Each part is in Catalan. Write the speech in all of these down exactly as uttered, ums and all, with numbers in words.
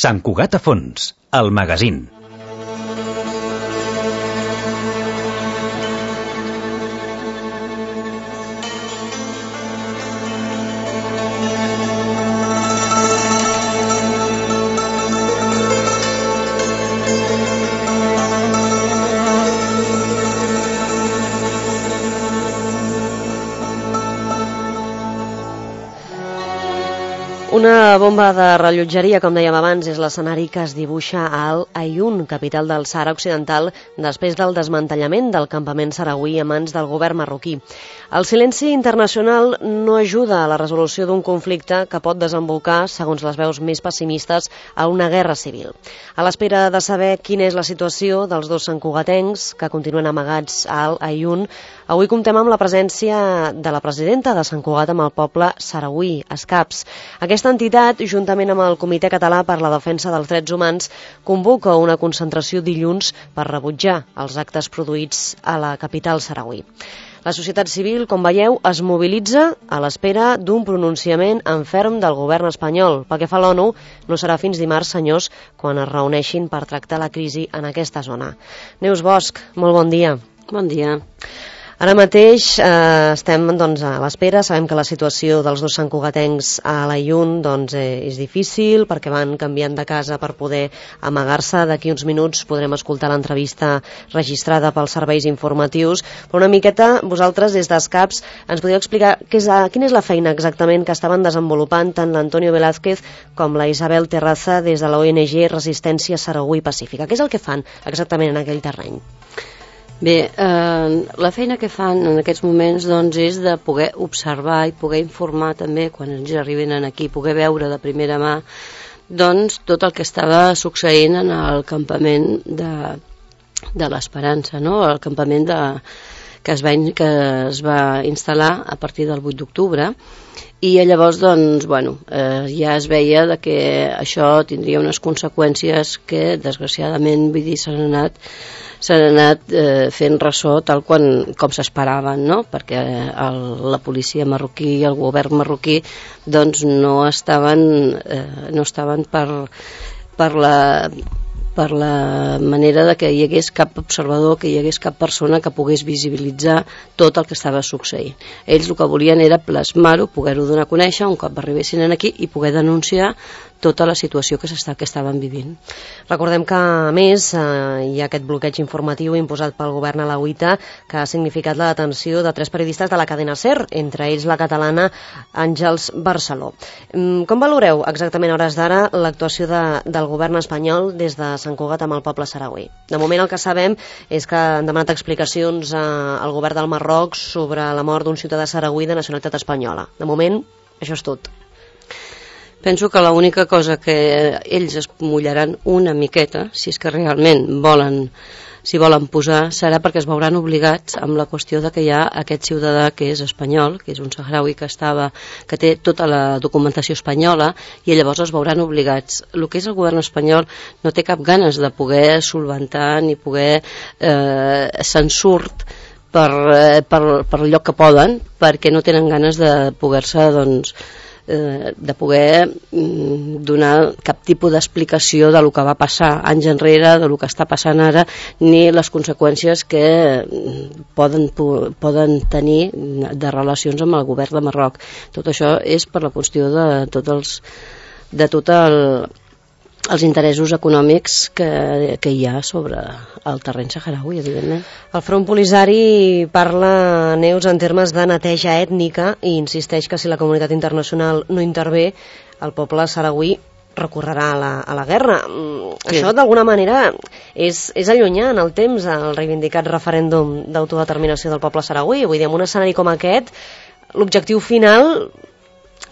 Sant Cugat a fons, el magazín. Una bomba de rellotgeria, com dèiem abans, és l'escenari que es dibuixa a Al Aaiun, capital del Sàhara Occidental, després del desmantellament del campament sarauí a mans del govern marroquí. El silenci internacional no ajuda a la resolució d'un conflicte que pot desembocar, segons les veus més pessimistes, a una guerra civil. A l'espera de saber quina és la situació dels dos santcugatencs que continuen amagats a Al Aaiun, avui comptem amb la presència de la presidenta de Sant Cugat amb el poble sarauí, SCAPS. Aquesta entitat, juntament amb el Comitè Català per la Defensa dels Drets Humans, convoca una concentració dilluns per rebutjar els actes produïts a la capital sarauí. La societat civil, com veieu, es mobilitza a l'espera d'un pronunciament en ferm del govern espanyol. Pel que fa a l'ONU, no serà fins dimarts, senyors, quan es reuneixin per tractar la crisi en aquesta zona. Neus Bosch, molt bon dia. Bon dia. Ara mateix eh, estem doncs, a l'espera, sabem que la situació dels dos santcugatencs a l'Aaiun doncs, eh, és difícil perquè van canviant de casa per poder amagar-se. D'aquí uns minuts podrem escoltar l'entrevista registrada pels serveis informatius, però una miqueta vosaltres des d'SCAPS ens podeu explicar què és, quina és la feina exactament que estaven desenvolupant tant l'Antonio Velázquez com la Isabel Terraza des de la O N G Resistència Sarauí Pacífica. Què és el que fan exactament en aquell terreny? Bé, eh, la feina que fan en aquests moments doncs, és de poder observar i poder informar també, quan ens arriben aquí, poder veure de primera mà doncs, tot el que estava succeint en el campament de, de l'Esperança, no? El campament de, que, es va, que es va instal·lar a partir del vuit d'octubre, i llavors doncs, bueno, eh, ja es veia de que això tindria unes conseqüències que desgraciadament vull dir, s'han anat s'han anat eh, fent ressò tal quan, com s'esperaven, no? Perquè el, la policia marroquí i el govern marroquí doncs, no estaven, eh, no estaven per, per la per la manera de que hi hagués cap observador, que hi hagués cap persona que pogués visibilitzar tot el que estava succeint. Ells el que volien era plasmar-ho, poder-ho donar a conèixer un cop arribessin aquí i poder denunciar tota la situació que, que estaven vivint. Recordem que, a més, eh, hi ha aquest bloqueig informatiu imposat pel govern alauita que ha significat la detenció de tres periodistes de la cadena SER, entre ells la catalana Àngels Barceló. Com valoreu exactament a hores d'ara l'actuació de, del govern espanyol des de Sant Cugat amb el poble sarauí? De moment el que sabem és que han demanat explicacions eh, al govern del Marroc sobre la mort d'un ciutadà sarauí de nacionalitat espanyola. De moment, això és tot. Penso que l'única cosa que ells es mullaran una miqueta, si és que realment volen, si volen posar, serà perquè es veuran obligats amb la qüestió de que hi ha aquest ciutadà que és espanyol, que és un saharaui que estava, que té tota la documentació espanyola, i llavors es veuran obligats. El que és el govern espanyol no té cap ganes de poder solventar ni poder eh, se'n surt per, eh, per, per el lloc que poden, perquè no tenen ganes de poder-se, doncs, de poder donar cap tipus d'explicació de lo que va passar anys enrere, de lo que està passant ara, ni les conseqüències que poden, poden tenir de relacions amb el govern de Marroc. Tot això és per la qüestió de tots els de tot el els interessos econòmics que, que hi ha sobre el terreny saharaui, evidentment. El Front Polisari parla, Neus, en termes de neteja ètnica i insisteix que si la comunitat internacional no intervé, el poble sarauí recorrerà a la, a la guerra. Sí. Això, d'alguna manera, és, és allunyar en el temps el reivindicat referèndum d'autodeterminació del poble sarauí. Vull dir, en un escenari com aquest, l'objectiu final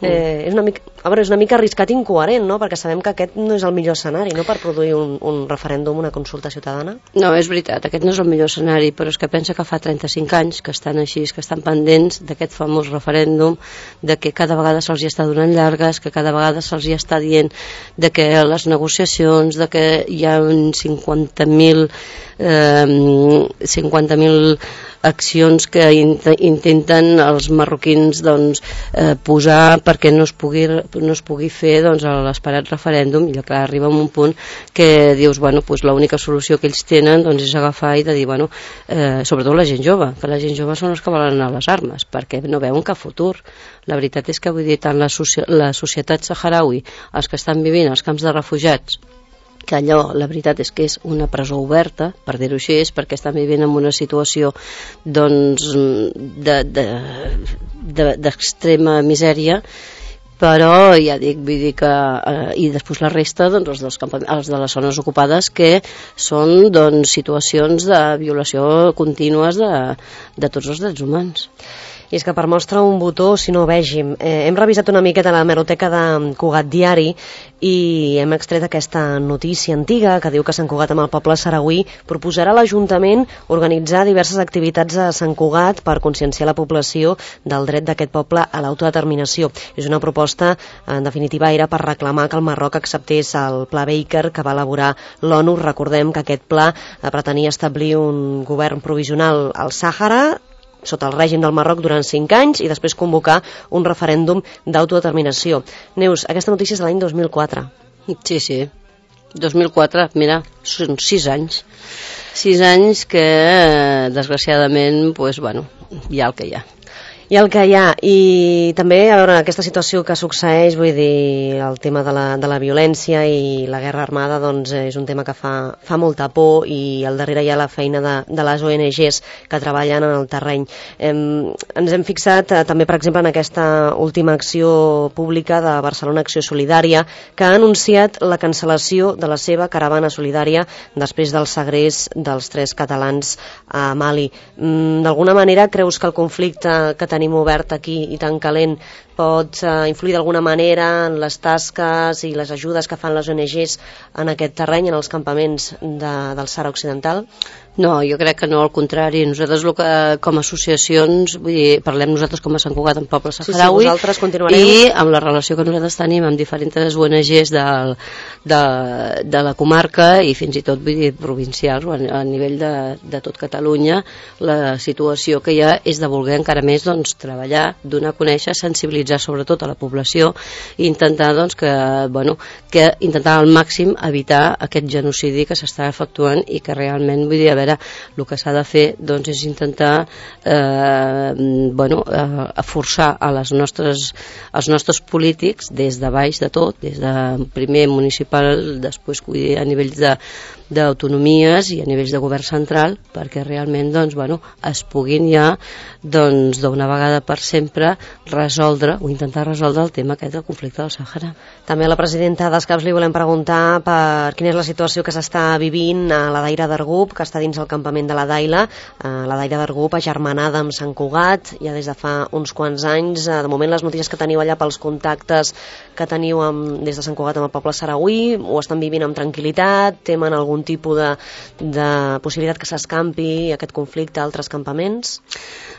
eh, és una mica... A veure, és una mica arriscat i incoherent, no? Perquè sabem que aquest no és el millor escenari, no?, per produir un, un referèndum, una consulta ciutadana. No, és veritat, aquest no és el millor escenari, però és que pensa que fa trenta-cinc anys que estan així, que estan pendents d'aquest famós referèndum, de que cada vegada se'ls hi està donant llargues, que cada vegada se'ls hi està dient de que les negociacions, de que hi ha cinquanta mil eh, cinquanta mil accions que int intenten els marroquins doncs, eh, posar perquè no es pugui no es pugui fer doncs, l'esperat referèndum, i clar, arriba a un punt que dius, bueno, pues, l'única solució que ells tenen doncs, és agafar i de dir, bueno, eh, sobretot la gent jove, que la gent jove són els que volen anar a les armes, perquè no veuen cap futur. La veritat és que, vull dir, tant la, soci la societat saharaui, els que estan vivint als camps de refugiats, que allò, la veritat és que és una presó oberta, per dir-ho així, és perquè estan vivint en una situació doncs d'extrema de, de, misèria, però ja dic, vull dir que eh, i després la resta, doncs els, dels els de les zones ocupades, que són doncs situacions de violació contínues de, de tots els drets humans. I és que per mostra un botó, si no vegim. Eh, hem revisat una miqueta la hemeroteca de Cugat Diari i hem extret aquesta notícia antiga que diu que Sant Cugat, amb el poble saragüí, proposarà a l'Ajuntament organitzar diverses activitats a Sant Cugat per conscienciar la població del dret d'aquest poble a l'autodeterminació. És una proposta, en definitiva, era per reclamar que el Marroc acceptés el Pla Baker que va elaborar l'ONU. Recordem que aquest pla pretenia establir un govern provisional al Sàhara, sota el règim del Marroc durant cinc anys i després convocar un referèndum d'autodeterminació. Neus, aquesta notícia és de l'any dos mil quatre. Sí, sí, dos mil quatre, mira, són sis anys. Sis anys que, desgraciadament, pues, bueno, hi ha el que hi ha. I el que hi ha, i també, a veure, aquesta situació que succeeix, vull dir, el tema de la, de la violència i la guerra armada, doncs és un tema que fa, fa molta por, i al darrere hi ha la feina de, de les O N Ges que treballen en el terreny. Hem, ens hem fixat eh, també, per exemple, en aquesta última acció pública de Barcelona Acció Solidària, que ha anunciat la cancel·lació de la seva caravana solidària després del segrest dels tres catalans a Mali. Mm, d'alguna manera, creus que el conflicte que tenim tenim obert aquí i tan calent pot uh, influir d'alguna manera en les tasques i les ajudes que fan les O N Ges en aquest terreny, en els campaments de, del Sàhara Occidental? No, jo crec que no, al contrari. Nosaltres, el que, com a associacions, vull dir, parlem nosaltres com a Sant Cugat en poble saharaui, sí, sí, continuareu. I amb la relació que nosaltres tenim amb diferents O N Ges del, de, de la comarca i fins i tot, vull dir, provincials, a, a nivell de, de tot Catalunya, la situació que hi ha és de voler encara més doncs, treballar, donar a conèixer, sensibilitzar sobretot a la població i intentar doncs, que, bueno, que intentar al màxim evitar aquest genocidi que s'està efectuant i que realment, vull dir, a veure, el que s'ha de fer doncs, és intentar eh, bueno, eh, forçar a les nostres, als nostres polítics des de baix de tot, des de primer municipal, després vull dir, a nivells de d'autonomies i a nivells de govern central, perquè realment doncs, bueno, es puguin ja doncs, d'una vegada per sempre resoldre o intentar resoldre el tema aquest del conflicte del Sàhara. També a la presidenta d'Escaps li volem preguntar per quina és la situació que s'està vivint a la Daira d'Argup, que està dins el campament de la Daila. La Daira d'Argup agermanada amb Sant Cugat ja des de fa uns quants anys. De moment les notícies que teniu allà pels contactes que teniu amb, des de Sant Cugat amb el poble saragüí, ho estan vivint amb tranquil·litat, temen algun tipus de, de possibilitat que s'escampi aquest conflicte a altres campaments?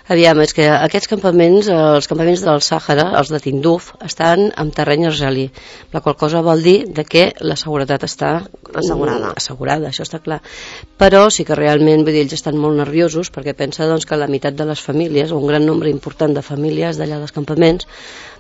Aviam, és que aquests campaments, els campaments del Sàhara, els de Tinduf, estan en terreny argelí, la qual cosa vol dir de que la seguretat està assegurada. assegurada, això està clar. Però sí que realment, vull dir, ells estan molt nerviosos perquè pensa doncs, que la meitat de les famílies, o un gran nombre important de famílies d'allà dels campaments,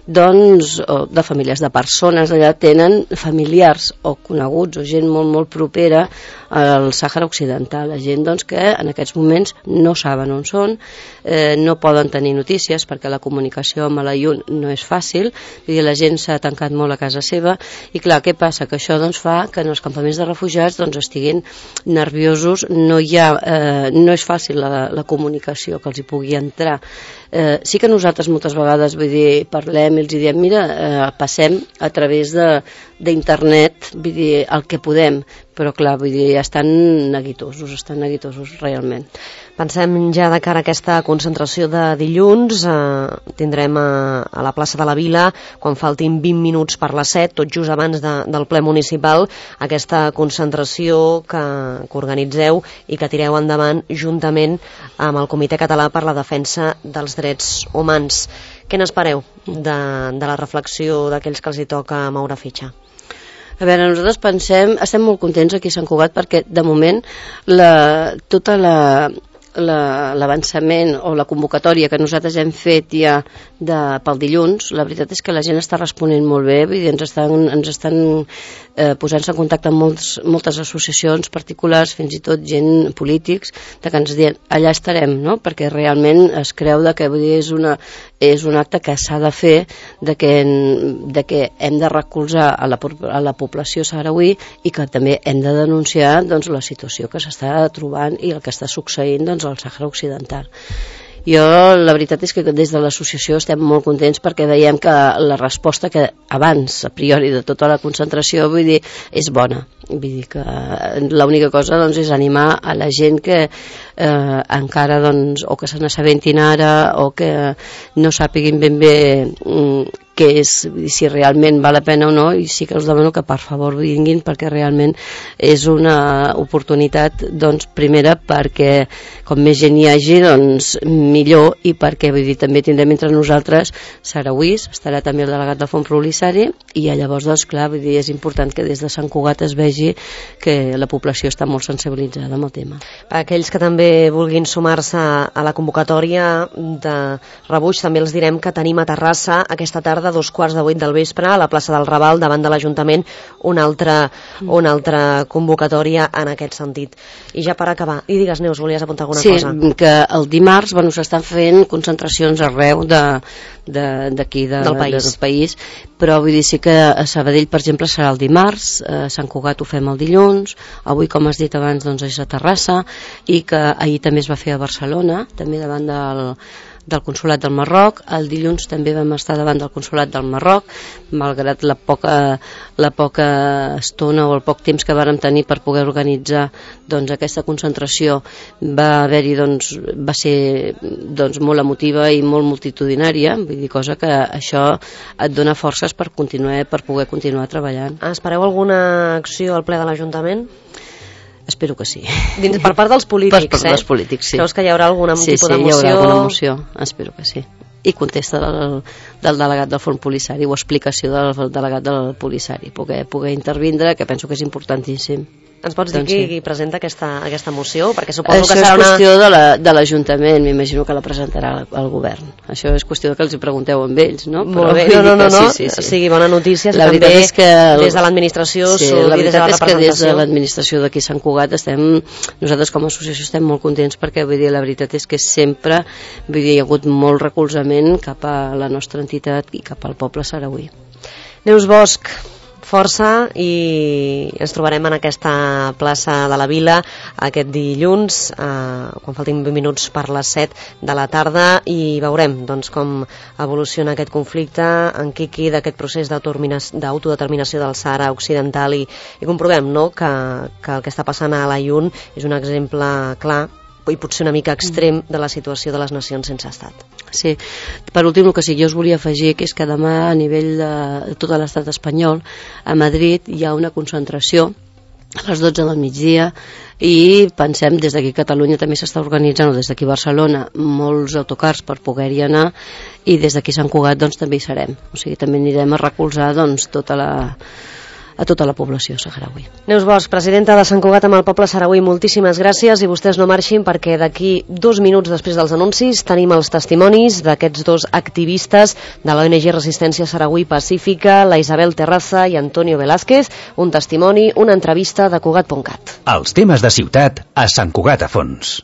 doncs, o de famílies, de persones allà, tenen familiars o coneguts o gent molt, molt propera al Sàhara Occidental, la gent doncs, que en aquests moments no saben on són, eh, no poden tenir notícies perquè la comunicació amb l'Ayun no és fàcil, vull dir, la gent s'ha tancat molt a casa seva i clar, què passa? Que això doncs, fa que en els campaments de refugiats doncs, estiguin nerviosos, no, hi ha, eh, no és fàcil la, la comunicació que els hi pugui entrar. Eh, sí que nosaltres moltes vegades vull dir, parlem i els diem, mira, eh, passem a través d'internet, vull dir, el que podem, però clar, vull dir, estan neguitosos, estan neguitosos realment. Pensem ja de cara a aquesta concentració de dilluns, eh, tindrem a, a la plaça de la Vila, quan faltin vint minuts per les set, tot just abans de, del ple municipal, aquesta concentració que, que organitzeu i que tireu endavant juntament amb el Comitè Català per la Defensa dels Drets Humans. Què n'espereu de, de la reflexió d'aquells que els hi toca moure fitxa? A veure, nosaltres pensem, estem molt contents aquí a Sant Cugat perquè de moment la, tota la l'avançament o la convocatòria que nosaltres hem fet ja de, pel dilluns, la veritat és que la gent està responent molt bé, vull dir, ens estan, ens estan eh, posant-se en contacte amb molts, moltes associacions particulars, fins i tot gent polítics, de que ens diuen allà estarem, no? Perquè realment es creu de que vull dir, és, una, és un acte que s'ha de fer, de que, de que hem de recolzar a la, a la població sarauí i que també hem de denunciar doncs, la situació que s'està trobant i el que està succeint doncs, al Sàhara Occidental. Jo, la veritat és que des de l'associació estem molt contents perquè veiem que la resposta que abans, a priori, de tota la concentració, vull dir, és bona. Vull dir que l'única cosa doncs, és animar a la gent que eh, encara, doncs, o que se n'assabentin ara o que no sàpiguin ben bé mm, què és, si realment val la pena o no, i sí que us demano que per favor vinguin perquè realment és una oportunitat, doncs, primera perquè com més gent hi hagi, doncs millor, i perquè vull dir, també tindrem entre nosaltres sarauís, estarà també el delegat del Fons Polisari, i llavors, doncs, clar, vull dir, és important que des de Sant Cugat es vegi que la població està molt sensibilitzada amb el tema. Per aquells que també vulguin sumar-se a la convocatòria de rebuig, també els direm que tenim a Terrassa aquesta tarda, dos quarts de vuit del vespre, a la plaça del Raval, davant de l'Ajuntament, una altra, una altra convocatòria en aquest sentit. I ja per acabar, i digues, Neus, volies apuntar alguna sí, cosa? Sí, que el dimarts bueno, s'estan fent concentracions arreu d'aquí de, de, del, país. De, del país, però vull dir, sí que a Sabadell, per exemple, serà el dimarts, a Sant Cugat ho fem el dilluns, avui, com has dit abans, doncs és a Terrassa, i que ahir també es va fer a Barcelona, també davant del del Consolat del Marroc. El dilluns també vam estar davant del Consolat del Marroc, malgrat la poca, la poca estona o el poc temps que vàrem tenir per poder organitzar doncs, aquesta concentració. Va haver-hi, doncs, va ser doncs, molt emotiva i molt multitudinària, vull dir, cosa que això et dona forces per continuar, per poder continuar treballant. Espereu alguna acció al ple de l'Ajuntament? Espero que sí. Dins, per part dels polítics, per, per eh? dels polítics, sí. Creus que hi haurà algun sí, tipus sí, de moció? Sí, hi haurà alguna moció, espero que sí. I contesta del, del delegat del Fons Polisari o explicació del delegat del Polisari, poder, poder intervindre, que penso que és importantíssim. Ens pots dir doncs qui, sí. qui presenta aquesta, aquesta moció? Perquè suposo això que serà és qüestió una... de l'Ajuntament, la, m'imagino que la presentarà el govern. Això és qüestió que els hi pregunteu amb ells, no? Molt bé, no, no, no, no. Sí, sí, sí. O sigui, bona notícia, la també és que el... des de l'administració sí, la veritat des de la és que des de l'administració d'aquí Sant Cugat estem, nosaltres com a associació estem molt contents perquè vull dir, la veritat és que sempre vull dir, hi ha hagut molt recolzament cap a la nostra entitat i cap al poble sarauí. Neus Bosch, força, i ens trobarem en aquesta plaça de la Vila aquest dilluns, eh, quan faltin vint minuts per les set de la tarda, i veurem doncs, com evoluciona aquest conflicte en Quiqui d'aquest procés d'autodeterminació del Sàhara Occidental, i, i comprovem no, que, que el que està passant a l'Aïun és un exemple clar i potser una mica extrem de la situació de les nacions sense estat. Sí, per últim el que sí que jo us volia afegir que és que demà a nivell de tot l'estat espanyol a Madrid hi ha una concentració a les dotze del migdia i pensem des d'aquí a Catalunya també s'està organitzant, o des d'aquí a Barcelona, molts autocars per poder-hi anar, i des d'aquí a Sant Cugat doncs, també hi serem, o sigui també anirem a recolzar doncs, tota la a tota la població saharauí. Neus Bosch, presidenta de Sant Cugat amb el poble sarauí, moltíssimes gràcies, i vostès no marxin perquè d'aquí dos minuts després dels anuncis tenim els testimonis d'aquests dos activistes de l'O N G Resistència Sarauí Pacífica, la Isabel Terraza i Antonio Velázquez, un testimoni, una entrevista de Cugat punt cat. Els temes de ciutat a Sant Cugat a fons.